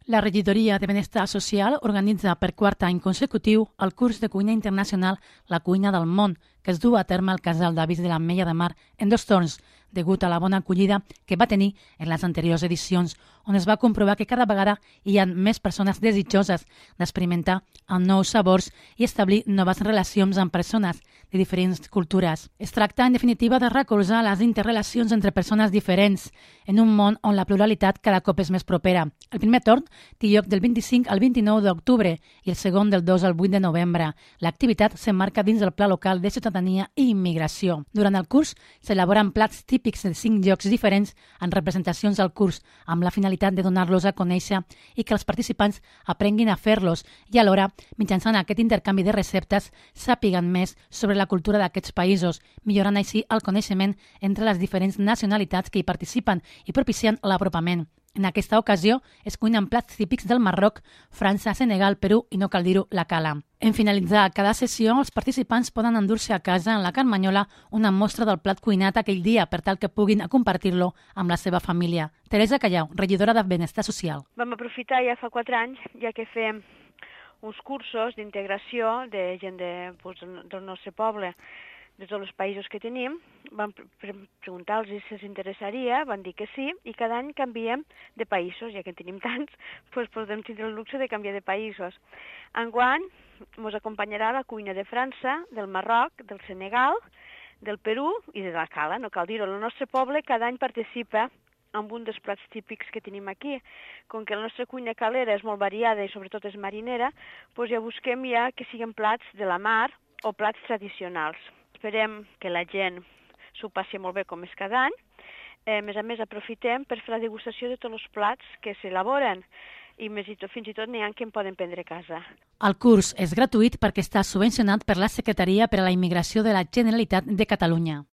La regidoria de Benestar Social organitza per quart any consecutiu el curs de cuina internacional La cuina del món, que es du a terme al Casal d'Avis de l'Ametlla de Mar en 2 torns, degut a la bona acollida que va tenir en les anteriors edicions, on es va comprovar que cada vegada hi ha més persones desitjoses d'experimentar amb nous sabors i establir noves relacions amb persones de diferents cultures. Es tracta, en definitiva, de recolzar les interrelacions entre persones diferents en un món on la pluralitat cada cop és més propera. El primer torn té lloc del 25 al 29 d'octubre i el segon del 2 al 8 de novembre. L'activitat s'emmarca dins del Pla Local de Ciutadania i Immigració. Durant el curs s'elaboren plats típics de 5 llocs diferents en representacions al curs, amb la finalitat de donar-los a conèixer i que els participants aprenguin a fer-los i alhora, mitjançant aquest intercanvi de receptes, sàpiguen més sobre la cultura d'aquests països, millorant així el coneixement entre les diferents nacionalitats que hi participen i propiciant l'apropament. En aquesta ocasió es cuinen plats típics del Marroc, França, Senegal, Perú i, no cal dir-ho, la cala. En finalitzar cada sessió, els participants poden endur-se a casa en la Carmanyola una mostra del plat cuinat aquell dia per tal que puguin compartir-lo amb la seva família. Teresa Callau, regidora de Benestar Social. Vam aprofitar ja fa 4 anys, ja que fem uns cursos d'integració de gent del nostre poble, de tots els països que tenim, vam preguntar-los si els interessaria, van dir que sí, i cada any canviem de països, ja que en tenim tants, doncs podem tindre el luxe de canviar de països. Enguany ens acompanyarà la cuina de França, del Marroc, del Senegal, del Perú i de la cala, no cal dir-ho. El nostre poble cada any participa amb un dels plats típics que tenim aquí. Com que la nostra cuina calera és molt variada i sobretot és marinera, doncs ja busquem ja que siguin plats de la mar o plats tradicionals. Esperem que la gent s'ho passi molt bé com és cada any. A més, aprofitem per fer la degustació de tots els plats que s'elaboren i fins i tot n'hi ha que en poden prendre a casa. El curs és gratuït perquè està subvencionat per la Secretaria per a la Immigració de la Generalitat de Catalunya.